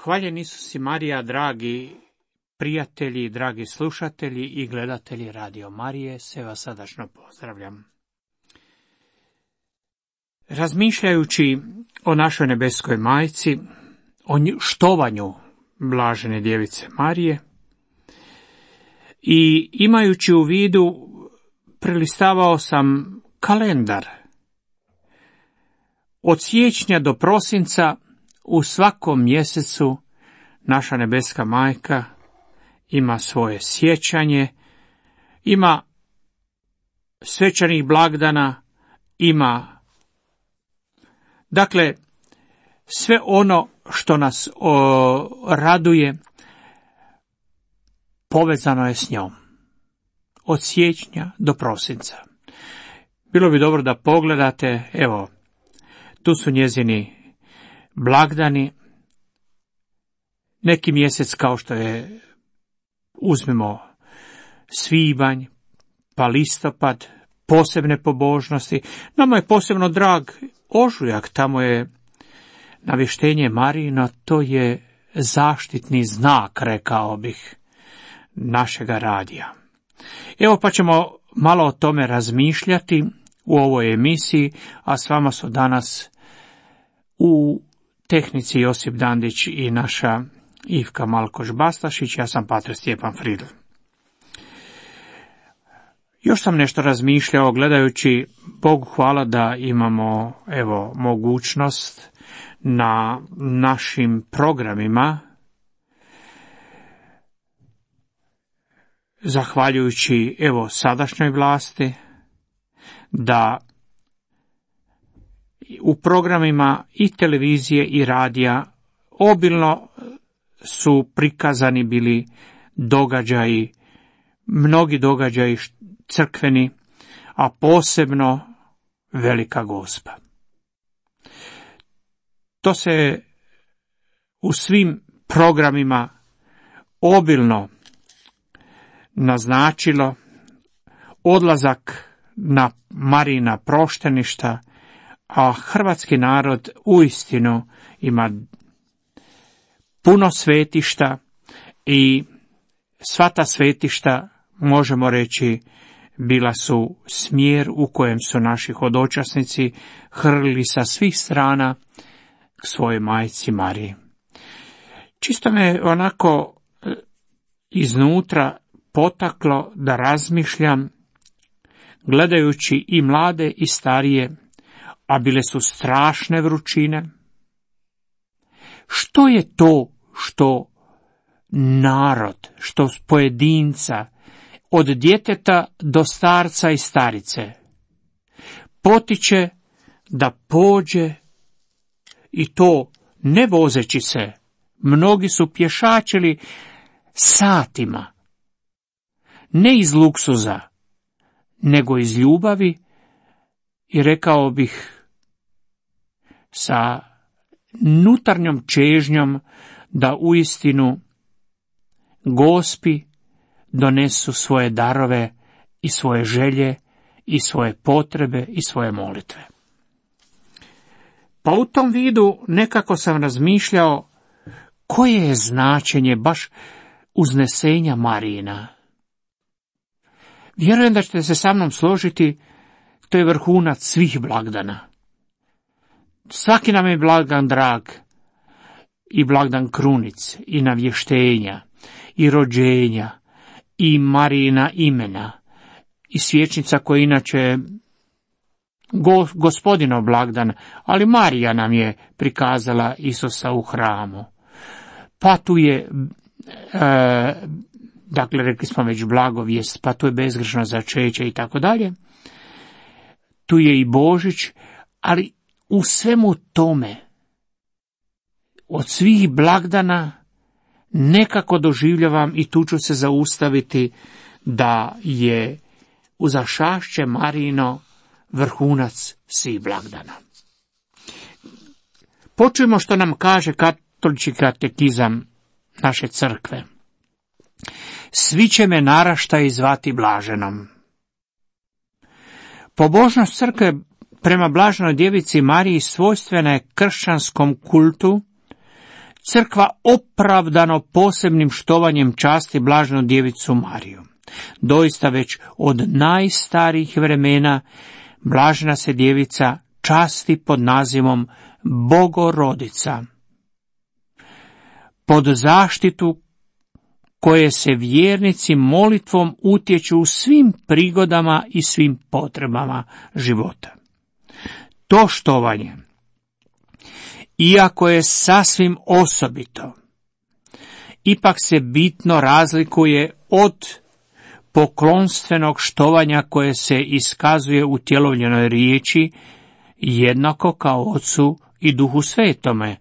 Hvaljen Isus i Marija, dragi prijatelji, dragi slušatelji i gledatelji Radio Marije, sve vas srdačno pozdravljam. Razmišljajući o našoj nebeskoj majci, o štovanju blažene djevice Marije i imajući u vidu, prelistavao sam kalendar. Od siječnja do prosinca u svakom mjesecu naša nebeska majka ima svoje sjećanje, ima svečanih blagdana, ima dakle sve ono što nas raduje povezano je s njom. Od siječnja do prosinca. Bilo bi dobro da pogledate, evo, tu su njezini blagdani. Neki mjesec kao što je, uzmemo svibanj, pa listopad, posebne pobožnosti. Nama je posebno drag ožujak, tamo je navještenje Marijino, to je zaštitni znak, rekao bih, našega radija. Evo pa ćemo malo o tome razmišljati u ovoj emisiji, a s vama su danas u tehnici Josip Dandić i naša Ivka Malkoš-Bastašić, ja sam Pater Stjepan Fridl. Još sam nešto razmišljao gledajući, Bogu hvala da imamo mogućnost na našim programima, zahvaljujući sadašnjoj vlasti, da u programima i televizije i radija obilno su prikazani bili događaji, mnogi događaji crkveni, a posebno Velika Gospa. To se u svim programima obilno naznačilo, odlazak na Marijina prošteništa, a hrvatski narod uistinu ima puno svetišta i sva ta svetišta, možemo reći, bila su smjer u kojem su naši hodočasnici hrlili sa svih strana k svojoj majci Mariji. Čisto me onako iznutra potaklo da razmišljam, gledajući i mlade i starije, a bile su strašne vrućine. Što je to što narod, što pojedinca, od djeteta do starca i starice, potiče da pođe, i to ne vozeći se, mnogi su pješačili satima, ne iz luksuza, nego iz ljubavi i rekao bih sa nutarnjom čežnjom da uistinu Gospi donesu svoje darove i svoje želje i svoje potrebe i svoje molitve. Pa u tom vidu nekako sam razmišljao koje je značenje baš uznesenja Marijina. Vjerujem da ćete se sa mnom složiti, to je vrhunac svih blagdana. Svaki nam je blagdan drag, i blagdan krunic, i navještenja, i rođenja, i Marijina imena, i svječnica koja inače Gospodinov blagdan, ali Marija nam je prikazala Isusa u hramu. Pa tu je, dakle rekli smo već blagovijest, pa tu je bezgrešno začeće i tako dalje. Tu je i Božić, ali u svemu tome, od svih blagdana, nekako doživljavam, i tu ću se zaustaviti, da je uzašašće Marijino vrhunac svih blagdana. Počujemo što nam kaže katolički katekizam naše crkve. Svi će me naraštaji zvati blaženom. Pobožnost crkve prema blaženoj djevici Mariji svojstvena je kršćanskom kultu, Crkva opravdano posebnim štovanjem časti blaženu djevicu Mariju. Doista već od najstarijih vremena blažena se djevica časti pod nazivom Bogorodica. Pod zaštitu koje se vjernici molitvom utječu u svim prigodama i svim potrebama života. To štovanje, iako je sasvim osobito, ipak se bitno razlikuje od poklonstvenog štovanja koje se iskazuje u tjelovljenoj riječi, jednako kao Otcu i Duhu Svetome,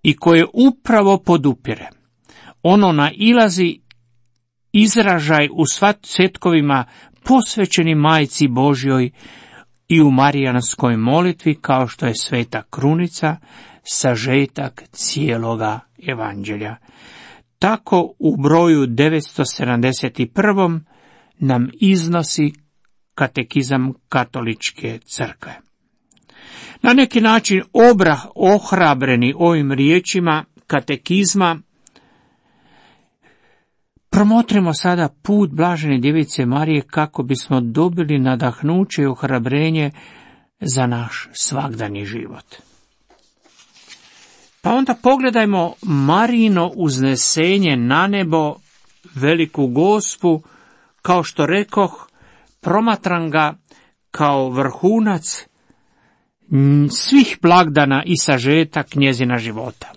i koje upravo podupire. Ono nailazi izražaj u svetkovima posvećenim Majci Božjoj i u marijanskoj molitvi, kao što je Sveta Krunica, sažetak cijeloga evanđelja. Tako u broju 971. nam iznosi katekizam Katoličke crkve. Na neki način ohrabreni ovim riječima katekizma, promotrimo sada put blažene djevice Marije kako bismo dobili nadahnuće i ohrabrenje za naš svagdani život. Pa onda pogledajmo Marijino uznesenje na nebo, veliku Gospu, kao što rekoh, promatram ga kao vrhunac svih blagdana i sažetak njezina života.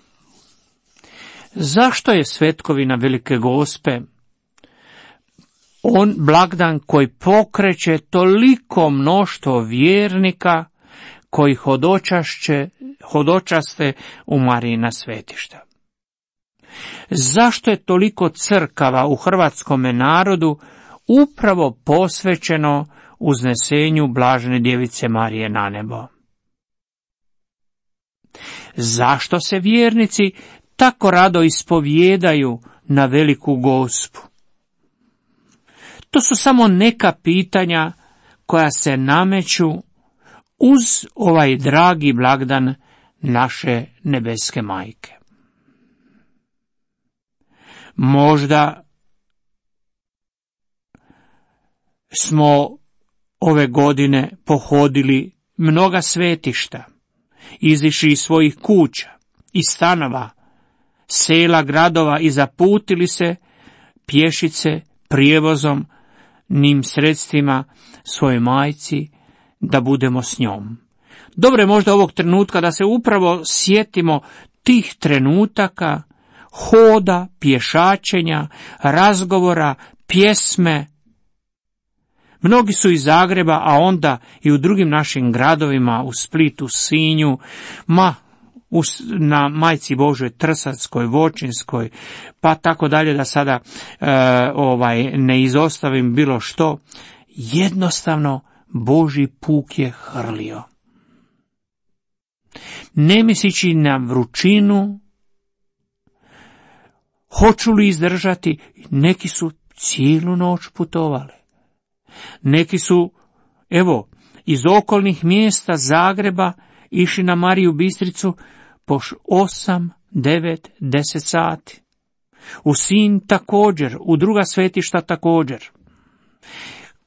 Zašto je svetkovina Velike Gospe on blagdan koji pokreće toliko mnoštvo vjernika koji hodočaste u Marijina svetišta? Zašto je toliko crkava u hrvatskome narodu upravo posvećeno uznesenju blažene djevice Marije na nebo? Zašto se vjernici tako rado ispovijedaju na Veliku Gospu? To su samo neka pitanja koja se nameću uz ovaj dragi blagdan naše nebeske majke. Možda smo ove godine pohodili mnoga svetišta, izišli iz svojih kuća i stanova, sela, gradova i zaputili se pješice, prijevozom, nim sredstvima svojoj majci da budemo s njom. Dobro je možda ovog trenutka da se upravo sjetimo tih trenutaka, hoda, pješačenja, razgovora, pjesme. Mnogi su iz Zagreba, a onda i u drugim našim gradovima, u Splitu, Sinju, na Majci Božoj Trsatskoj, Voćinskoj, pa tako dalje, da sada ne izostavim bilo što. Jednostavno Božji puk je hrlio. Ne mislići na vrućinu, hoću li izdržati, neki su cijelu noć putovali. Neki su, iz okolnih mjesta Zagreba išli na Mariju Bistricu po 8, 9, 10 sati. U Sinj također, u druga svetišta također.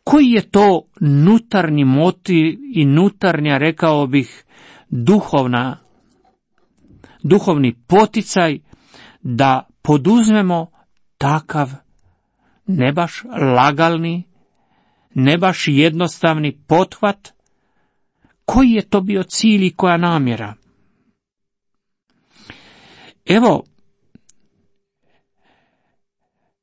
Koji je to nutarnji motiv i nutarnja, rekao bih, duhovni poticaj da poduzmemo takav ne baš lagalni, ne baš jednostavni pothvat? Koji je to bio cilj i koja namjera?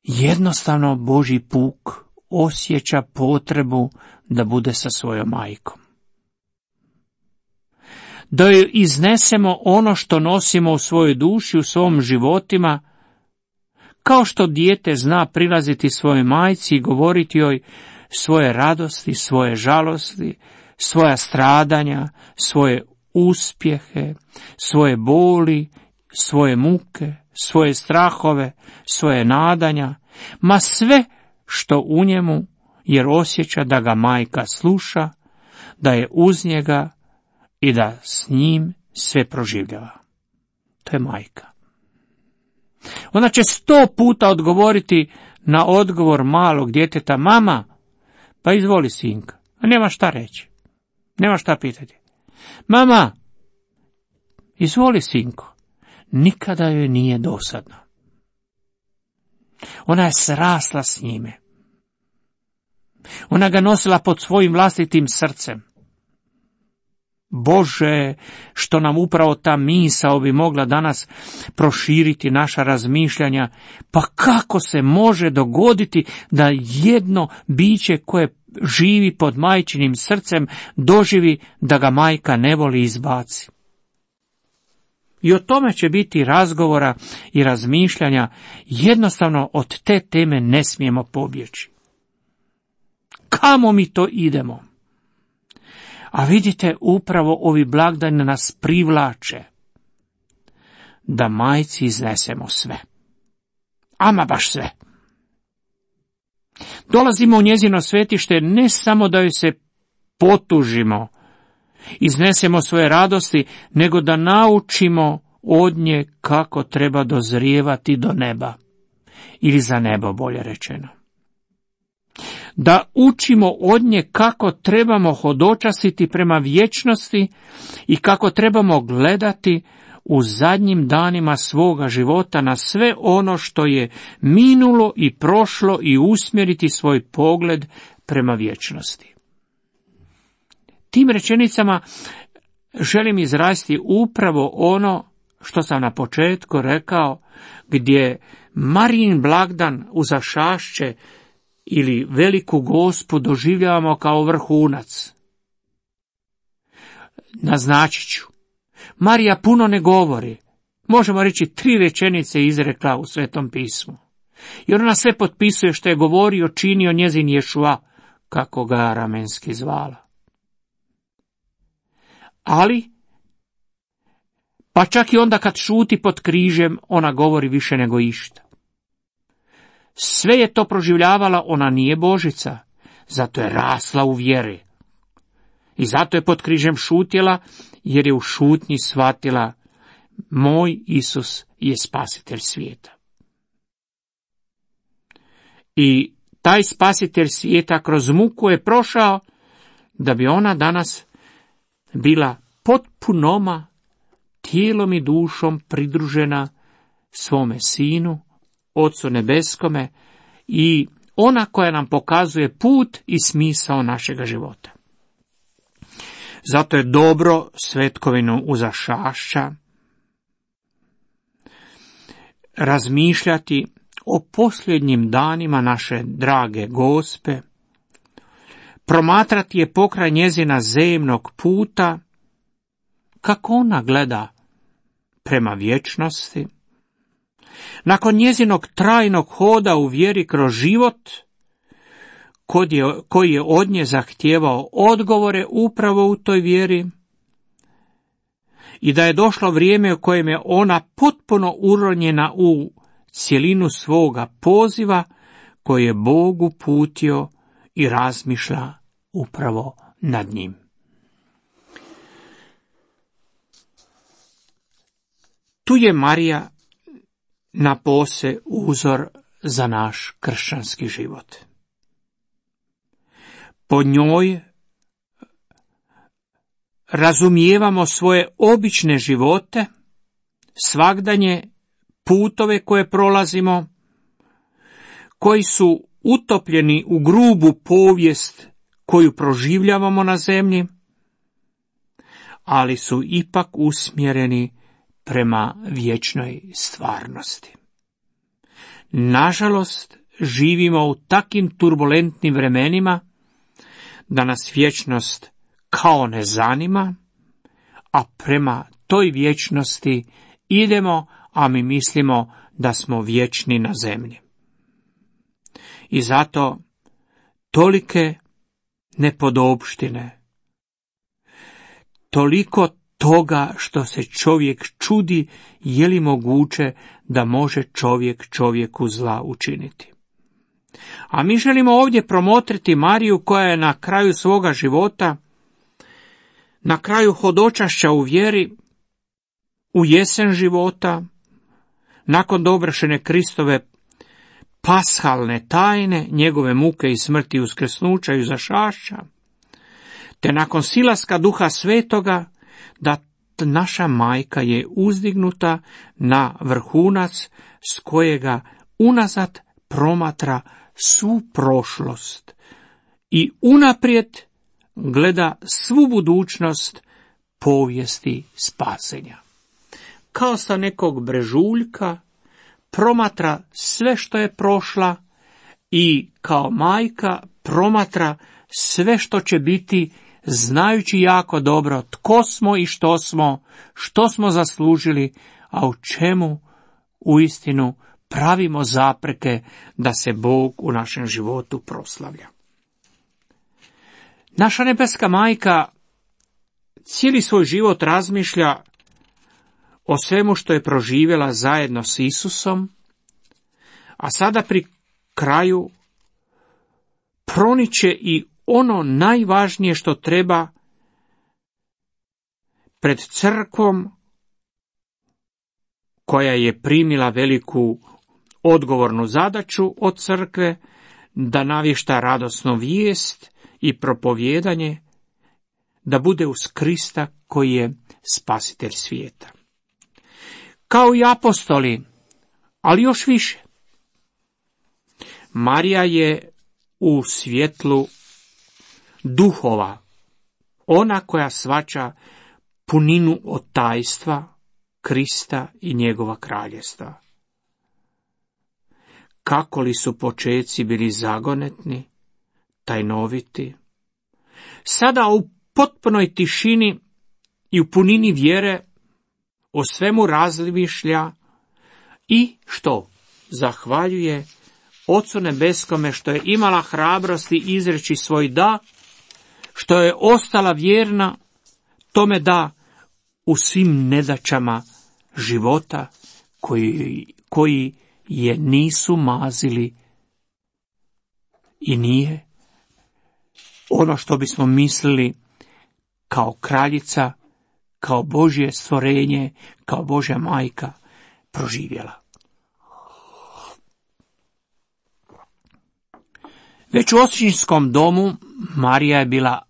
Jednostavno Božji puk osjeća potrebu da bude sa svojom majkom. Da joj iznesemo ono što nosimo u svojoj duši, u svom životima, kao što dijete zna prilaziti svojoj majci i govoriti joj svoje radosti, svoje žalosti, svoja stradanja, svoje uspjehe, svoje boli, svoje muke, svoje strahove, svoje nadanja, ma sve što u njemu, jer osjeća da ga majka sluša, da je uz njega i da s njim sve proživljava. To je majka. Ona će 100 puta odgovoriti na odgovor malog djeteta: mama, pa izvoli sinka. A nema šta reći. Nema šta pitati. Mama, izvoli sinko. Nikada joj nije dosadno. Ona je srasla s njime. Ona ga nosila pod svojim vlastitim srcem. Bože, što nam upravo ta misao bi mogla danas proširiti naša razmišljanja. Pa kako se može dogoditi da jedno biće koje živi pod majčinim srcem doživi da ga majka ne voli i izbaci? I o tome će biti razgovora i razmišljanja. Jednostavno od te teme ne smijemo pobjeći. Kamo mi to idemo? A vidite, upravo ovi blagdani nas privlače da majci iznesemo sve. Ama baš sve. Dolazimo u njezino svetište ne samo da joj se potužimo, iznesemo svoje radosti, nego da naučimo od nje kako treba dozrijevati do neba. Ili za nebo, bolje rečeno. Da učimo od nje kako trebamo hodočasiti prema vječnosti i kako trebamo gledati u zadnjim danima svoga života na sve ono što je minulo i prošlo i usmjeriti svoj pogled prema vječnosti. Tim rečenicama želim izraziti upravo ono što sam na početku rekao, gdje Marijin blagdan Uzašašće ili Veliku Gospu doživljavamo kao vrhunac. Naznačit ću. Marija puno ne govori. Možemo reći 3 rečenice izrekla u Svetom pismu. Jer ona sve potpisuje što je govorio, činio njezin Ješua, kako ga ramenski zvala. Ali, pa čak i onda kad šuti pod križem, ona govori više nego išta. Sve je to proživljavala, ona nije Božica, zato je rasla u vjeri. I zato je pod križem šutjela, jer je u šutnji shvatila: moj Isus je spasitelj svijeta. I taj spasitelj svijeta kroz muku je prošao, da bi ona danas bila potpunoma, tijelom i dušom pridružena svome Sinu, Ocu nebeskome, i ona koja nam pokazuje put i smisao našega života. Zato je dobro svetkovinu Uzašašća razmišljati o posljednjim danima naše drage Gospe, promatrati je pokraj njezina zemnog puta, kako ona gleda prema vječnosti, nakon njezinog trajnog hoda u vjeri kroz život, koji je od nje zahtijevao odgovore upravo u toj vjeri, i da je došlo vrijeme u kojem je ona potpuno uronjena u cjelinu svoga poziva koji je Bog uputio i razmišlja upravo nad njim. Tu je Marija napose uzor za naš kršćanski život. Po njoj razumijevamo svoje obične živote, svagdanje putove koje prolazimo, koji su utopljeni u grubu povijest koju proživljavamo na zemlji, ali su ipak usmjereni prema vječnoj stvarnosti. Nažalost, živimo u takim turbulentnim vremenima da nas vječnost kao ne zanima, a prema toj vječnosti idemo, a mi mislimo da smo vječni na zemlji. I zato tolike nepodopštine, toliko toga što se čovjek čudi je li moguće da može čovjek čovjeku zla učiniti. A mi želimo ovdje promotriti Mariju koja je na kraju svoga života, na kraju hodočašća u vjeri, u jesen života, nakon dovršene Kristove pashalne tajne, njegove muke i smrti, uskrsnuća i uzašašća, te nakon silaska Duha Svetoga, da naša majka je uzdignuta na vrhunac s kojega unazad promatra svu prošlost i unaprijed gleda svu budućnost povijesti spasenja. Kao sa nekog brežuljka promatra sve što je prošla i kao majka promatra sve što će biti, znajući jako dobro tko smo i što smo zaslužili, a u čemu uistinu pravimo zapreke da se Bog u našem životu proslavlja. Naša nebeska majka cijeli svoj život razmišlja o svemu što je proživjela zajedno s Isusom, a sada pri kraju proniče i ono najvažnije što treba pred crkvom, koja je primila veliku odgovornu zadaću od crkve, da navješta radosnu vijest i propovijedanje, da bude uz Krista koji je spasitelj svijeta. Kao i apostoli, ali još više. Marija je u svjetlu duhova, ona koja shvaća puninu od tajstva Krista i njegova kraljevstva. Kako li su počeci bili zagonetni, tajnoviti, sada u potpunoj tišini i u punini vjere o svemu razmišlja i što? Zahvaljuje Ocu nebeskome što je imala hrabrosti izreći svoj da, što je ostala vjerna tome da u svim nedaćama života koji je nisu mazili i nije ono što bismo mislili kao kraljica, kao Božje stvorenje, kao Božja majka proživjela. Već u očinskom domu Marija je bila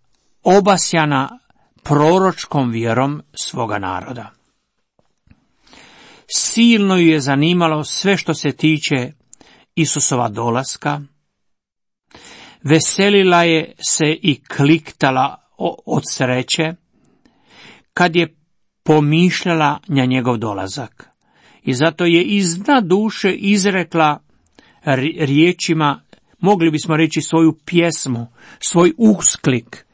obasjana proročkom vjerom svoga naroda. Silno ju je zanimalo sve što se tiče Isusova dolaska, veselila je se i kliktala od sreće kad je pomišljala na njegov dolazak. I zato je iz dna duše izrekla riječima, mogli bismo reći svoju pjesmu, svoj usklik: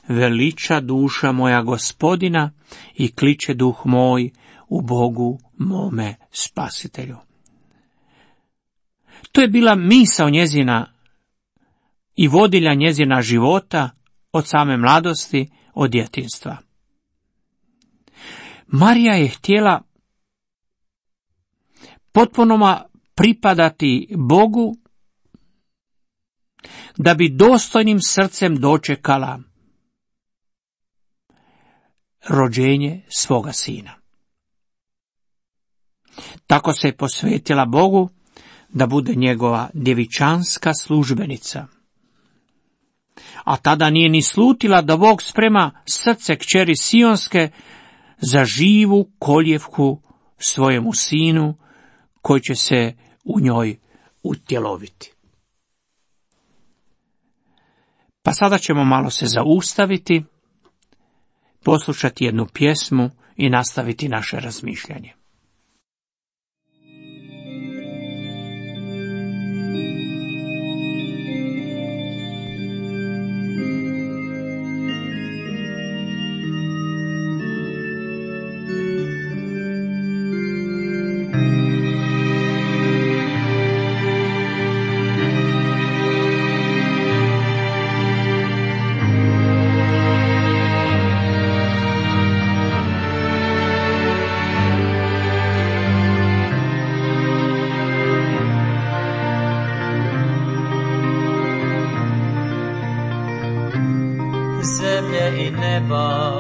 veliča duša moja Gospodina i kliče duh moj u Bogu mome spasitelju. To je bila misao njezina i vodilja njezina života od same mladosti, od djetinjstva. Marija je htjela potpuno pripadati Bogu, da bi dostojnim srcem dočekala rođenje svoga sina. Tako se je posvetila Bogu da bude njegova djevičanska službenica. A tada nije ni slutila da Bog sprema srce kćeri Sionske za živu koljevku svojemu sinu, koji će se u njoj utjeloviti. Pa sada ćemo malo se zaustaviti, poslušati jednu pjesmu i nastaviti naše razmišljanje. Zemlje i neba,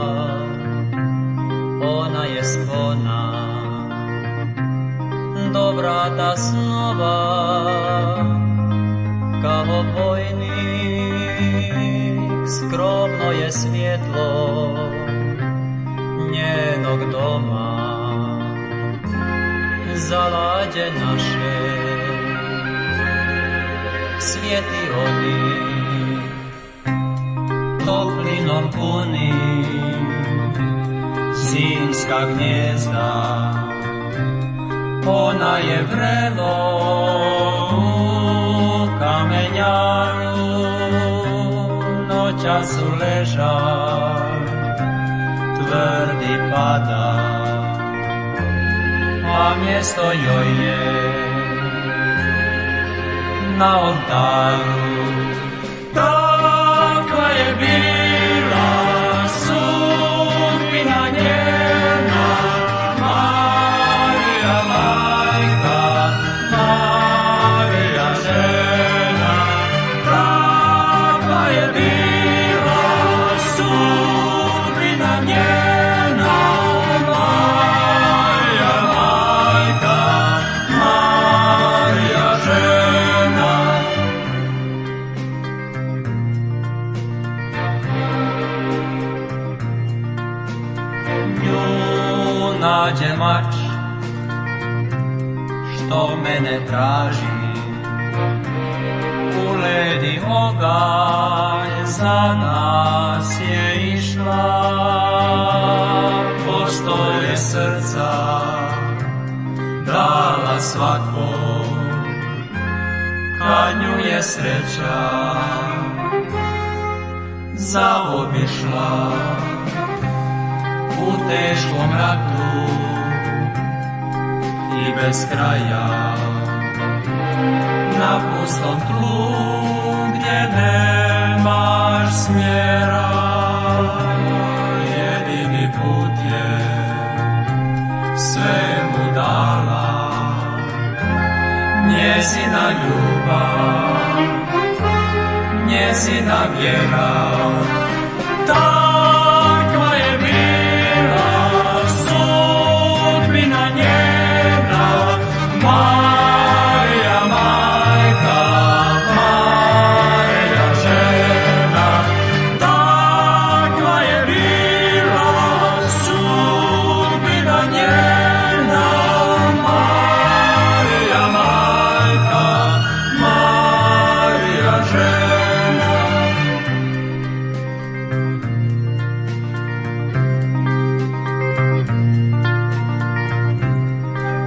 ona je spona, do vrata snova, kao vojnik skromno je svjetlo njenog doma, zalađe naše svijeti oni, toplinom puni zimska gnjezda. Ona je vrelo u kamenjaru, noćas leža, tvrdi pada, a mjesto joj je na oltaru. Takva je bila sudbina njena, Marija majka, Marija žena. Takva je bila sudbina njena, Marija majka, Marija žena. Nju nađe mač što mene traži, u led i oganj za nas je išla. Postolje srca dala svakom, kad nju je sreća zaobišla. U teškom ratu i bez kraja, na pustom tlu gdje nemaš smjera, jedini put je svemu dala njezina ljubav, njezina vjera. Takva je bila sudbina njena, Marija majka, Marija žena. Takva je bila sudbina njena, Marija majka, Marija žena.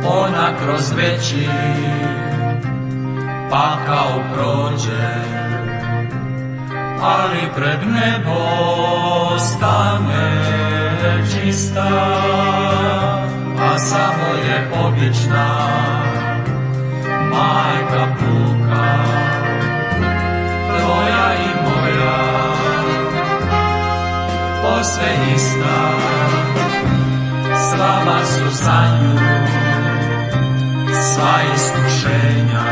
Ona kroz veći pakao prođe, ali pred nebo stane čista, a samo je obična majka puka, tvoja i moja, posve ista. Slaba su za nju sva iskušenja,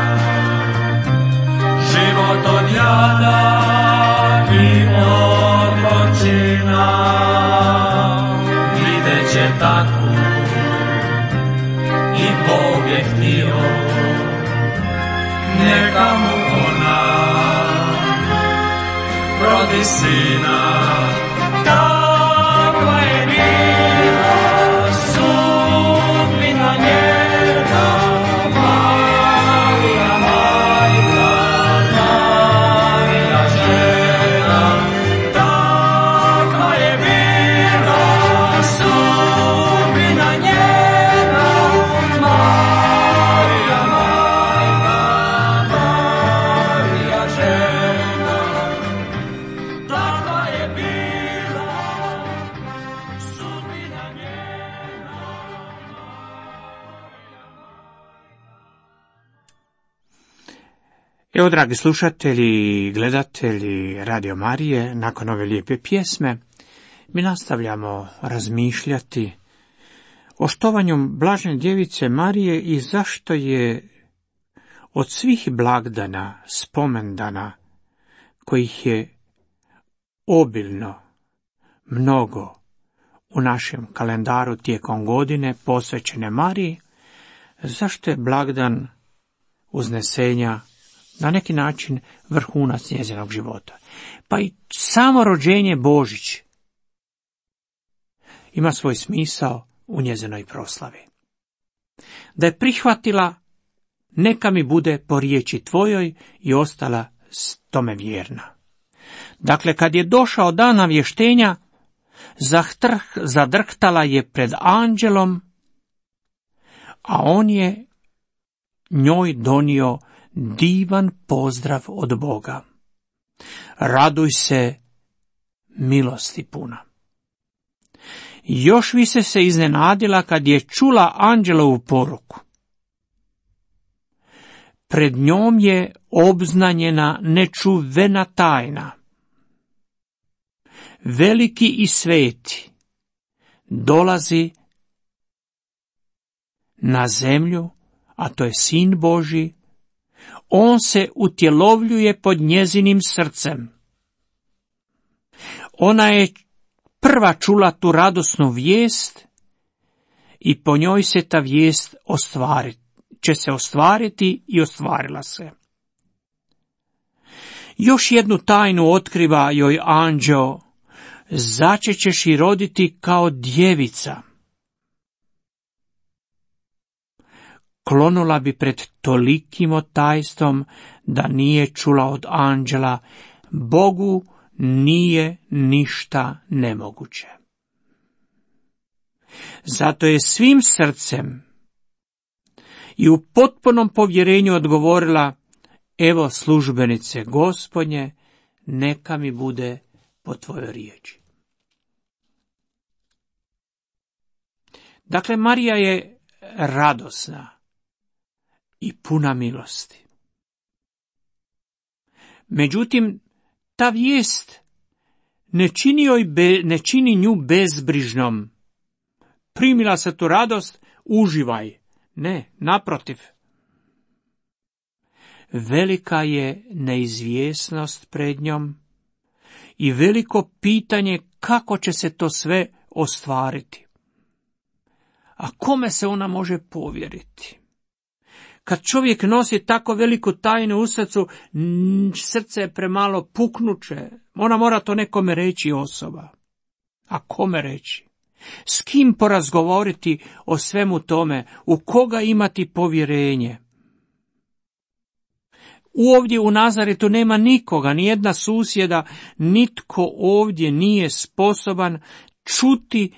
život od jada i od gorčina. Vidjet će takvu i Bog je htio, neka mu ona rodi sina. Takva je bila sudbina njena, Marija majka, Marija žena. Takva je bila sudbina njena, Marija majka, Marija žena. Takva je bila sudbina njena. Evo, dragi slušatelji i gledatelji Radio Marije, nakon ove lijepe pjesme, mi nastavljamo razmišljati o štovanju Blažene djevice Marije i zašto je od svih blagdana, spomendana, kojih je obilno, mnogo u našem kalendaru tijekom godine posvećene Mariji, Zašto je blagdan uznesenja na neki način vrhunac njezinog života? Pa i samo rođenje Božić ima svoj smisao u njezinoj proslavi. Da je prihvatila, neka mi bude po riječi tvojoj, i ostala tome vjerna. Dakle, kad je došao dan navještenja, zadrhtala je pred anđelom, a on je njoj donio divan pozdrav od Boga. Raduj se, milosti puna. Još više se iznenadila kad je čula anđelovu poruku. Pred njom je obznanjena nečuvena tajna. Veliki i sveti dolazi na zemlju, a to je Sin Božji. On se utjelovljuje pod njezinim srcem. Ona je prva čula tu radosnu vijest i po njoj se ta vijest će se ostvariti i ostvarila se. Još jednu tajnu otkriva joj anđeo: začećeš i roditi kao djevica. Klonula bi pred tolikim otajstvom da nije čula od anđela: Bogu nije ništa nemoguće. Zato je svim srcem i u potpunom povjerenju odgovorila: evo službenice Gospodnje, neka mi bude po tvojoj riječi. Dakle, Marija je radosna i puna milosti. Međutim, ta vijest ne čini nju bezbrižnom. Primila se tu radost, uživaj. Ne, naprotiv. Velika je neizvjesnost pred njom i veliko pitanje kako će se to sve ostvariti. A kome se ona može povjeriti? Kad čovjek nosi tako veliku tajnu u srcu, srce je premalo puknuće. Ona mora to nekome reći, osoba. A kome reći? S kim porazgovoriti o svemu tome? U koga imati povjerenje? Ovdje u Nazaretu nema nikoga, ni jedna susjeda, nitko ovdje nije sposoban čuti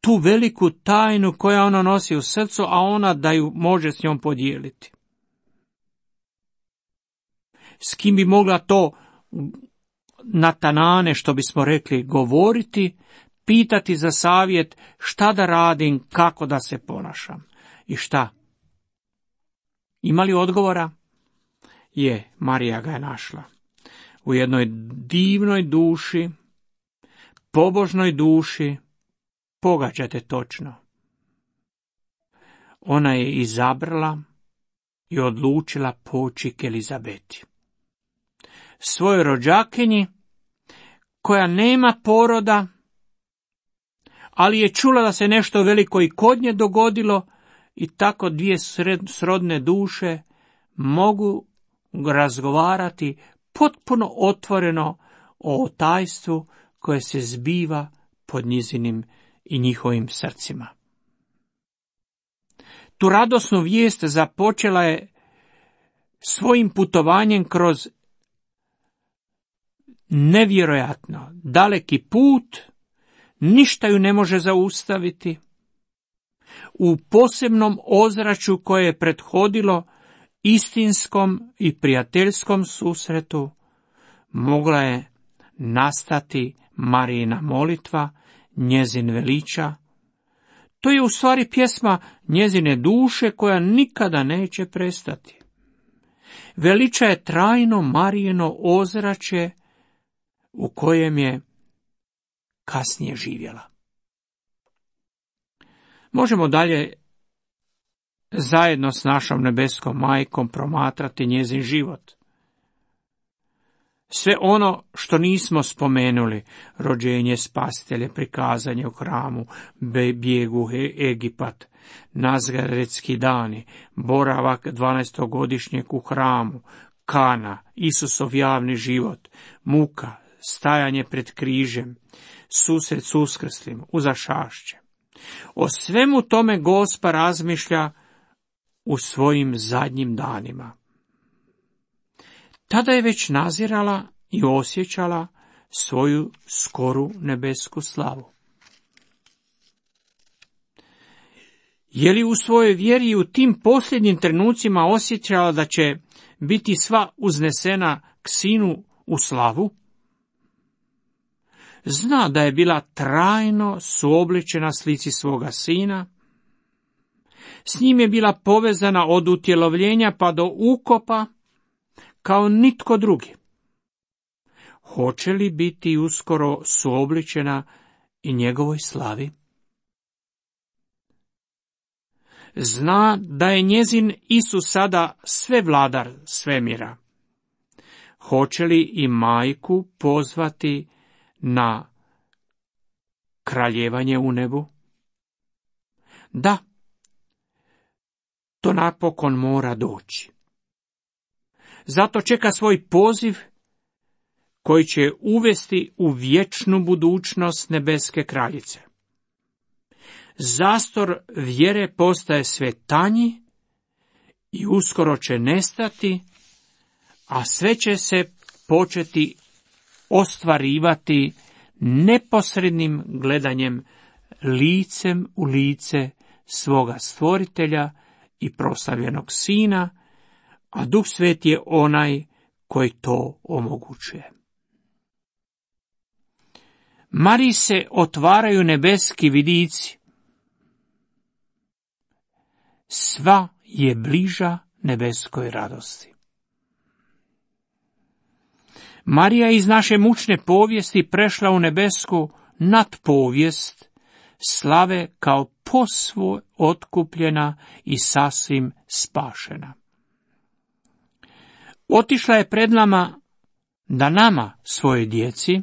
tu veliku tajnu koja ona nosi u srcu, a ona da ju može s njom podijeliti. S kim bi mogla to na tanane, što bismo rekli, govoriti, pitati za savjet šta da radim, kako da se ponašam i šta? Ima li odgovora? Marija ga je našla. U jednoj divnoj duši, pobožnoj duši, pogađate točno. Ona je izabrala i odlučila poći k Elizabeti. Svojoj rođakinji, koja nema poroda, ali je čula da se nešto veliko i kod nje dogodilo, i tako dvije srodne duše mogu razgovarati potpuno otvoreno o otajstvu koje se zbiva pod njezinim i njihovim srcima. Tu radosnu vijest započela je svojim putovanjem kroz nevjerojatno daleki put, ništa ju ne može zaustaviti. U posebnom ozračju koje je prethodilo istinskom i prijateljskom susretu mogla je nastati Marijina molitva, njezin veliča. To je u stvari pjesma njezine duše koja nikada neće prestati. Veliča je trajno Marijino ozračje u kojem je kasnije živjela. Možemo dalje zajedno s našom nebeskom majkom promatrati njezin život. Sve ono što nismo spomenuli, rođenje Spasitelja, prikazanje u hramu, bijegu u Egipat, Nazgaretski dani, boravak 12-godišnjeg u hramu, Kana, Isusov javni život, muka, stajanje pred križem, susret s uskrslim, uzašašće. O svemu tome Gospa razmišlja u svojim zadnjim danima. Tada je već nazirala i osjećala svoju skoru nebesku slavu. Je li u svojoj vjeri u tim posljednjim trenucima osjećala da će biti sva uznesena k Sinu u slavu? Zna da je bila trajno suobličena slici svoga Sina, s njim je bila povezana od utjelovljenja pa do ukopa, kao nitko drugi. Hoće li biti uskoro suobličena i njegovoj slavi? Zna da je njezin Isus sada sve vladar svemira. Hoće li i majku pozvati na kraljevanje u nebu? Da, to napokon mora doći. Zato čeka svoj poziv koji će uvesti u vječnu budućnost nebeske kraljice. Zastor vjere postaje sve tanji i uskoro će nestati, a sve će se početi ostvarivati neposrednim gledanjem licem u lice svoga stvoritelja i proslavljenog Sina, a Duh Sveti je onaj koji to omogućuje. Mariji se otvaraju nebeski vidici. Sva je bliža nebeskoj radosti. Marija iz naše mučne povijesti prešla u nebesku nadpovijest slave kao posve otkupljena i sasvim spašena. Otišla je pred nama da nama, svojoj djeci,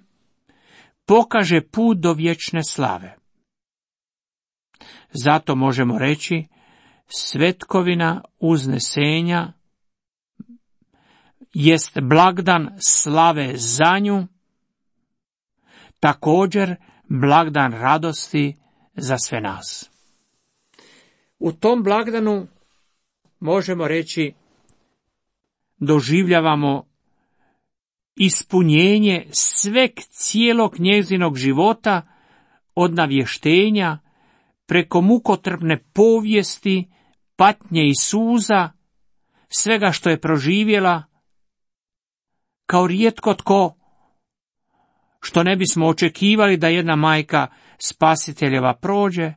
pokaže put do vječne slave. Zato možemo reći, svetkovina uznesenja jest blagdan slave za nju, također blagdan radosti za sve nas. U tom blagdanu možemo reći doživljavamo ispunjenje sveg cijelog njezinog života, od navještenja preko mukotrpne povijesti, patnje i suza, svega što je proživjela, kao rijetko tko, što ne bismo očekivali da jedna majka Spasiteljeva prođe,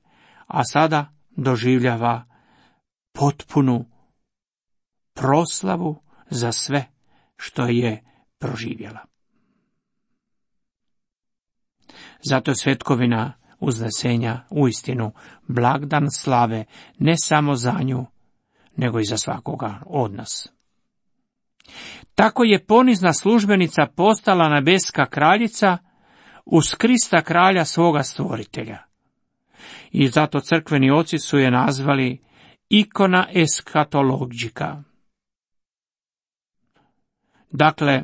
a sada doživljava potpunu proslavu za sve što je proživjela. Zato je svetkovina uznesenja uistinu blagdan slave ne samo za nju, nego i za svakoga od nas. Tako je ponizna službenica postala nebeska kraljica uz Krista kralja svoga stvoritelja. I zato crkveni oci su je nazvali ikona eskatologika. Dakle,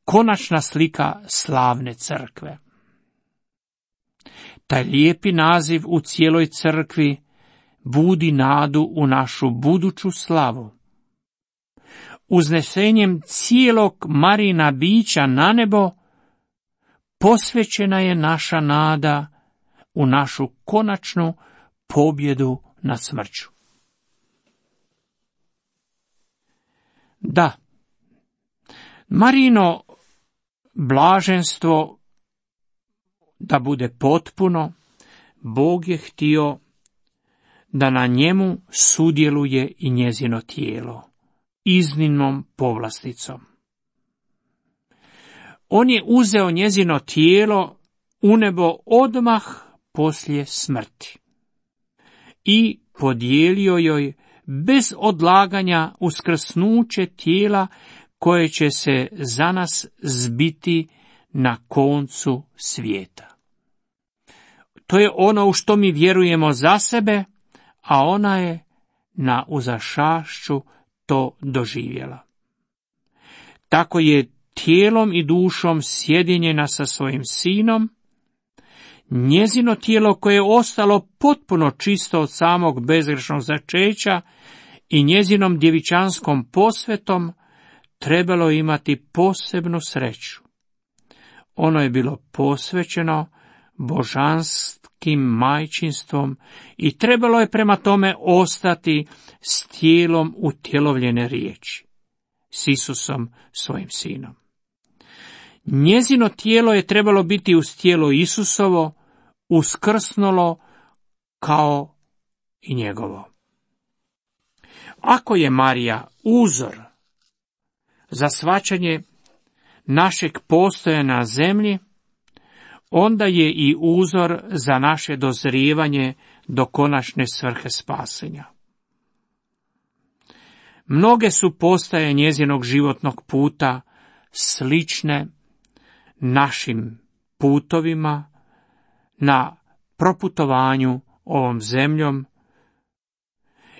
konačna slika slavne crkve. Taj lijepi naziv u cijeloj crkvi budi nadu u našu buduću slavu. Uznesenjem cijelog Marijina bića na nebo posvećena je naša nada u našu konačnu pobjedu nad smrću. Da, Marijino blaženstvo da bude potpuno, Bog je htio da na njemu sudjeluje i njezino tijelo, iznimnom povlasticom. On je uzeo njezino tijelo u nebo odmah poslije smrti i podijelio joj bez odlaganja uskrsnuće tijela koje će se za nas zbiti na koncu svijeta. To je ono u što mi vjerujemo za sebe, a ona je na uzašašću to doživjela. Tako je tijelom i dušom sjedinjena sa svojim sinom, njezino tijelo koje je ostalo potpuno čisto od samog bezgrešnog začeća i njezinom djevičanskom posvetom trebalo imati posebnu sreću. Ono je bilo posvećeno božanskim majčinstvom i trebalo je prema tome ostati s tijelom utjelovljene riječi, s Isusom svojim sinom. Njezino tijelo je trebalo biti uz tijelo Isusovo, uskrsnulo kao i njegovo. Ako je Marija uzor za shvaćanje našeg postojanja na zemlji, onda je i uzor za naše dozrijevanje do konačne svrhe spasenja. Mnoge su postaje njezinog životnog puta slične našim putovima na proputovanju ovom zemljom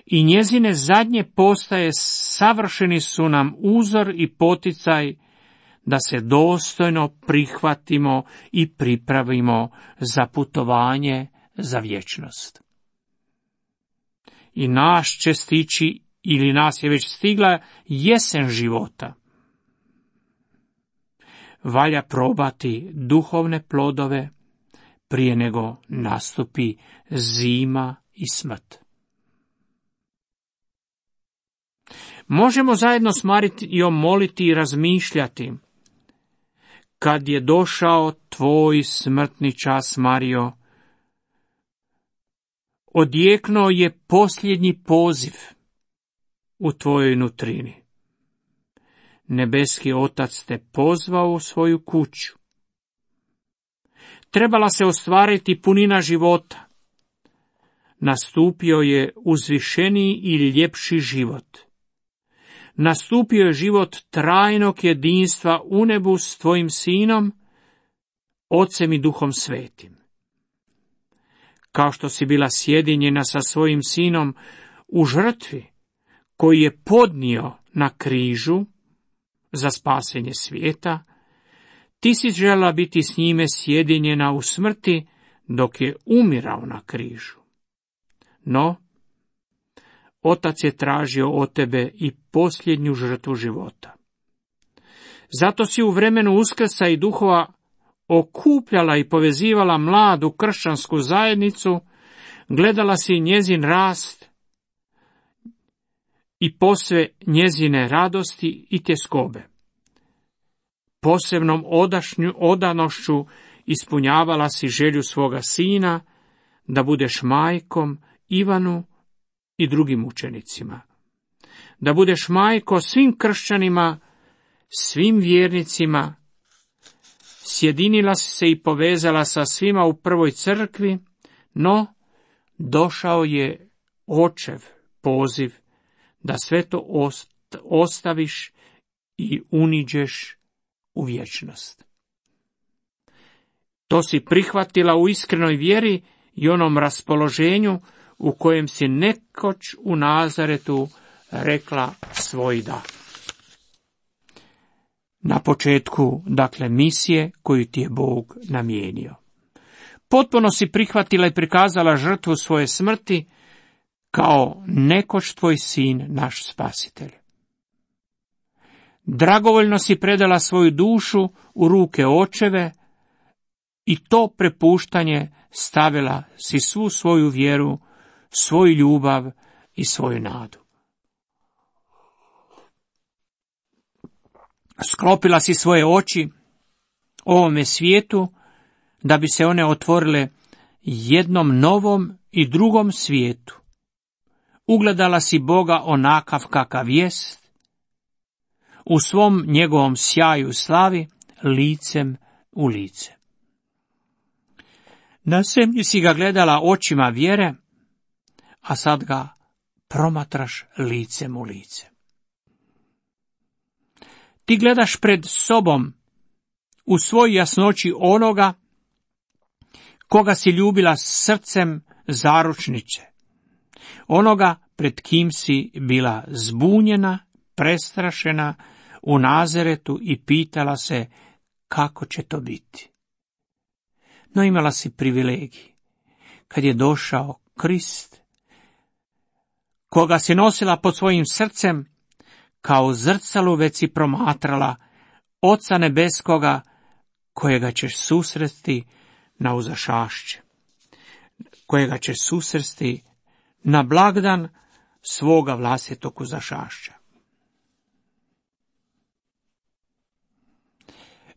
i njezine zadnje postaje savršeni su nam uzor i poticaj da se dostojno prihvatimo i pripravimo za putovanje za vječnost. I naš će stići, ili nas je već stigla, jesen života. Valja probati duhovne plodove prije nego nastupi zima i smrt. Možemo zajedno s Marijom moliti i razmišljati: kad je došao tvoj smrtni čas, Marijo, odjeknuo je posljednji poziv u tvojoj nutrini. Nebeski Otac te pozvao u svoju kuću. Trebala se ostvariti punina života. Nastupio je uzvišeniji i ljepši život. Nastupio je život trajnog jedinstva u nebu s tvojim sinom, Ocem i Duhom Svetim. Kao što si bila sjedinjena sa svojim sinom u žrtvi koji je podnio na križu za spasenje svijeta, ti si željela biti s njime sjedinjena u smrti dok je umirao na križu. No, Otac je tražio od tebe i posljednju žrtvu života. Zato si u vremenu Uskrsa i duhova okupljala i povezivala mladu kršćansku zajednicu, gledala si njezin rast i posve njezine radosti i tjeskobe. Posebnom odanošću ispunjavala si želju svoga sina da budeš majkom Ivanu i drugim učenicima. Da budeš majko svim kršćanima, svim vjernicima. Sjedinila si se i povezala sa svima u prvoj crkvi, no došao je Očev poziv da sve to ostaviš i uniđeš u vječnost. To si prihvatila u iskrenoj vjeri i onom raspoloženju u kojem si nekoć u Nazaretu rekla svoj da. Na početku, dakle, misije koju ti je Bog namijenio. Potpuno si prihvatila i prikazala žrtvu svoje smrti kao nekoć tvoj sin, naš spasitelj. Dragovoljno si predala svoju dušu u ruke Očeve i to prepuštanje stavila si svu svoju vjeru, svoju ljubav i svoju nadu. Sklopila si svoje oči ovome svijetu da bi se one otvorile jednom novom i drugom svijetu. Ugledala si Boga onakav kakav jest, u svom njegovom sjaju i slavi, licem u lice. Na zemlji si ga gledala očima vjere, a sad ga promatraš licem u lice. Ti gledaš pred sobom u svoj jasnoći onoga koga si ljubila srcem zaručnice, onoga pred kim si bila zbunjena, prestrašena u Nazaretu i pitala se kako će to biti. No imala si privilegij. Kad je došao Krist, koga si nosila pod svojim srcem, kao zrcalu već si promatrala Oca nebeskoga, kojega ćeš susresti na uzašašće, kojega ćeš susresti na blagdan svoga vlastitog uzašašća.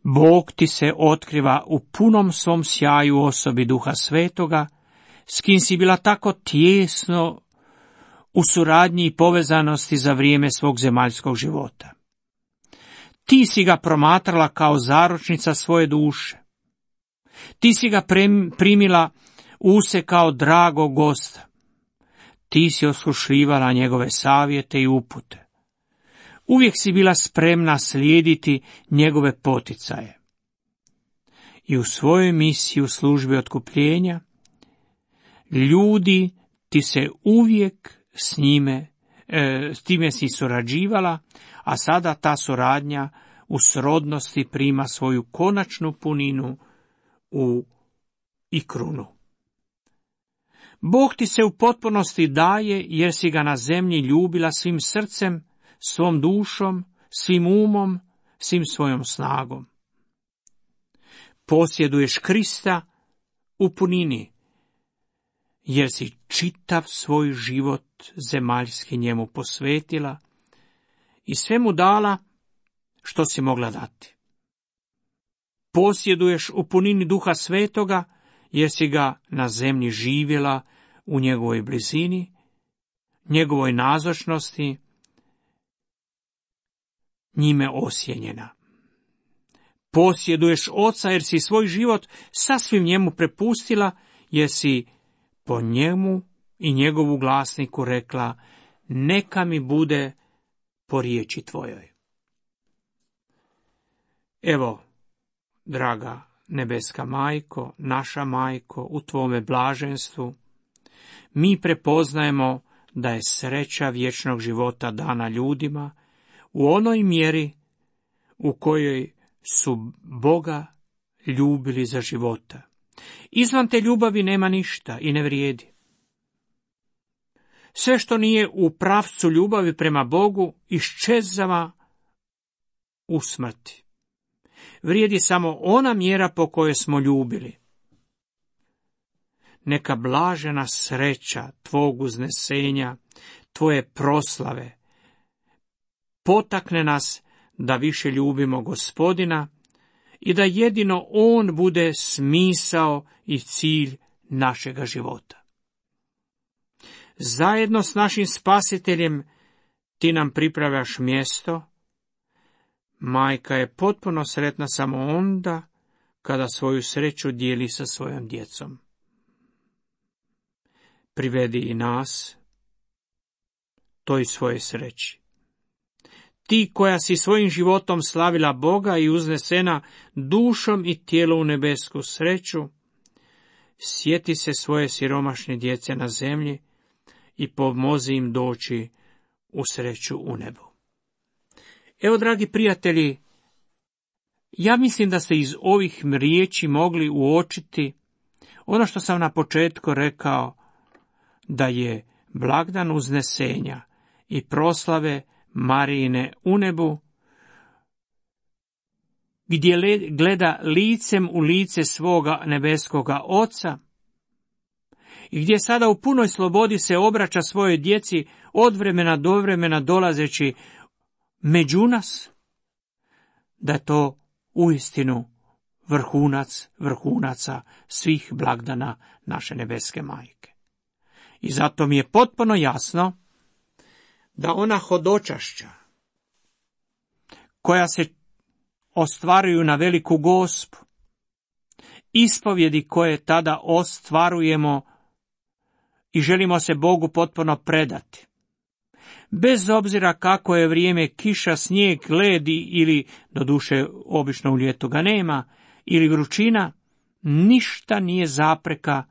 Bog ti se otkriva u punom svom sjaju osobi Duha Svetoga, s kim si bila tako tijesno u suradnji i povezanosti za vrijeme svog zemaljskog života. Ti si ga promatrala kao zaručnica svoje duše. Ti si ga primila u se kao dragog gosta. Ti si osluškivala njegove savjete i upute. Uvijek si bila spremna slijediti njegove poticaje. I u svojoj misiji u službi otkupljenja, ljudi ti se uvijek s time si surađivala, a sada ta suradnja u srodnosti prima svoju konačnu puninu i krunu. Bog ti se u potpunosti daje jer si ga na zemlji ljubila svim srcem, svom dušom, svim umom, svim svojom snagom. Posjeduješ Krista u punini, jer si čitav svoj život zemaljski njemu posvetila i sve mu dala što si mogla dati. Posjeduješ u punini Duha Svetoga, jer si ga na zemlji živjela u njegovoj blizini, njegovoj nazočnosti, njime osjenjena. Posjeduješ Oca, jer si svoj život sasvim njemu prepustila, jer si po njemu i njegovu glasniku rekla, neka mi bude po riječi tvojoj. Evo, draga nebeska majko, naša majko, u tvome blaženstvu, mi prepoznajemo da je sreća vječnog života dana ljudima u onoj mjeri u kojoj su Boga ljubili za života. Izvan te ljubavi nema ništa i ne vrijedi. Sve što nije u pravcu ljubavi prema Bogu iščezava u smrti. Vrijedi samo ona mjera po kojoj smo ljubili. Neka blažena sreća tvog uznesenja, tvoje proslave, potakne nas da više ljubimo Gospodina i da jedino On bude smisao i cilj našega života. Zajedno s našim Spasiteljem ti nam pripravljaš mjesto. Majka je potpuno sretna samo onda kada svoju sreću dijeli sa svojom djecom. Privedi i nas toj svoje sreći. Ti koja si svojim životom slavila Boga i uznesena dušom i tijelom u nebesku sreću, sjeti se svoje siromašne djece na zemlji i pomozi im doći u sreću u nebu. Evo, dragi prijatelji, ja mislim da ste iz ovih riječi mogli uočiti ono što sam na početku rekao, da je blagdan uznesenja i proslave Marijine u nebu, gdje gleda licem u lice svoga nebeskoga Oca i gdje sada u punoj slobodi se obraća svojoj djeci od vremena do vremena dolazeći među nas, da je to uistinu vrhunac vrhunaca svih blagdana naše nebeske majke. I zato mi je potpuno jasno da ona hodočašća koja se ostvaruju na Veliku Gospu, ispovjedi koje tada ostvarujemo i želimo se Bogu potpuno predati, bez obzira kako je vrijeme, kiša, snijeg, led ili, doduše obično u ljetu ga nema, ili vrućina, ništa nije zapreka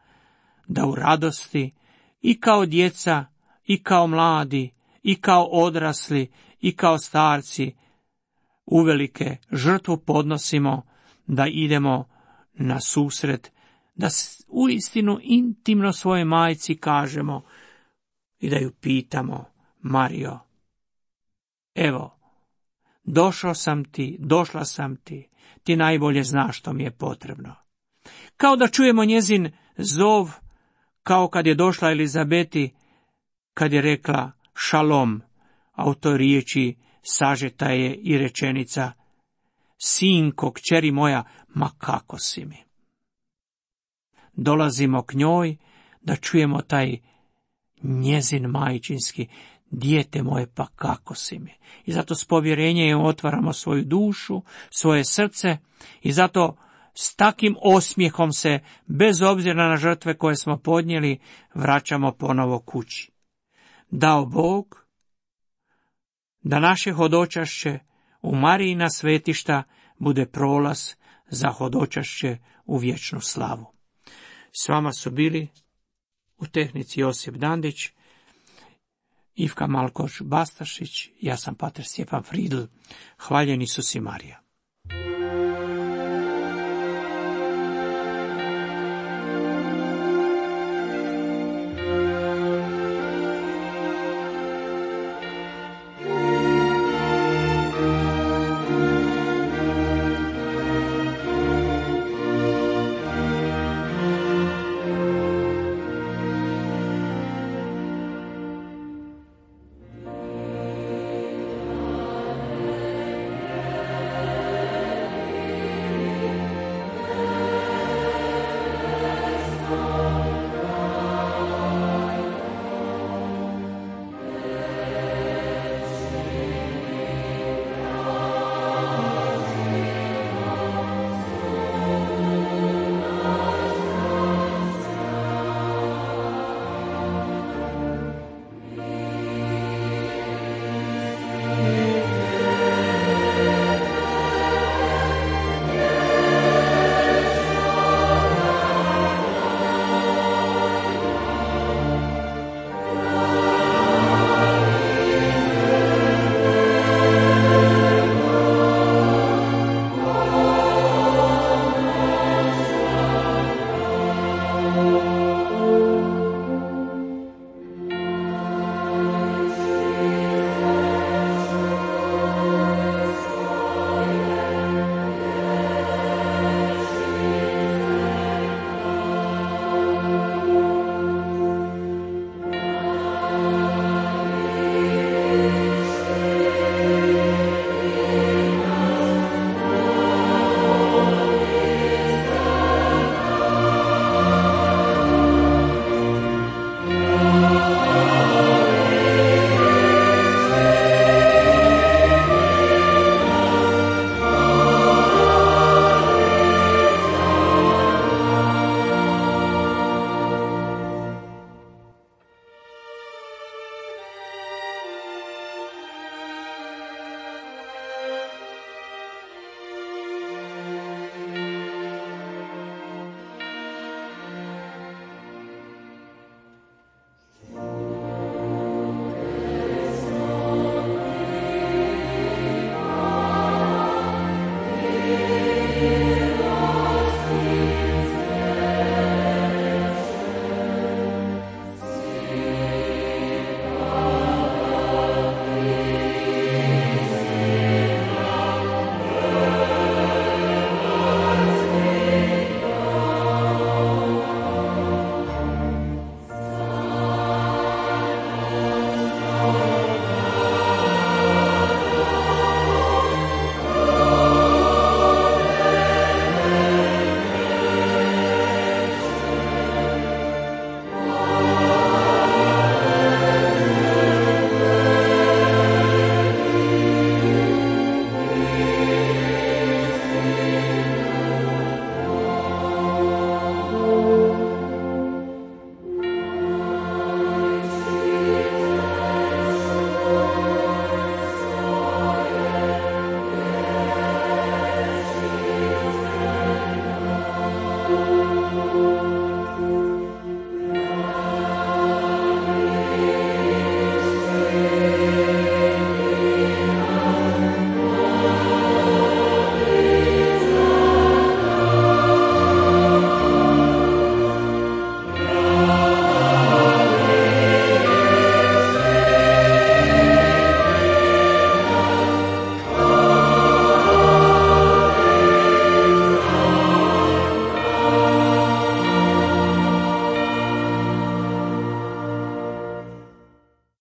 da u radosti i kao djeca, i kao mladi, i kao odrasli, i kao starci uvelike žrtvu podnosimo, da idemo na susret, da uistinu intimno svojoj majci kažemo i da ju pitamo: Marijo, evo, došao sam ti, došla sam ti, ti najbolje znaš što mi je potrebno. Kao da čujemo njezin zov, kao kad je došla Elizabeti, kad je rekla šalom, a u toj riječi sažeta je i rečenica: sinko, kćeri moja, ma kako si mi. Dolazimo k njoj da čujemo taj njezin majčinski: dijete moje, pa kako si mi. I zato s povjerenjem otvaramo svoju dušu, svoje srce, i zato s takim osmijehom se, bez obzira na žrtve koje smo podnijeli, vraćamo ponovo kući. Dao Bog da naše hodočašće u Marijina svetišta bude prolaz za hodočašće u vječnu slavu. S vama su bili u tehnici Josip Dandić, Ivka Malkoš Bastašić, ja sam pater Stjepan Fridl. Hvaljeni Isus i Marija.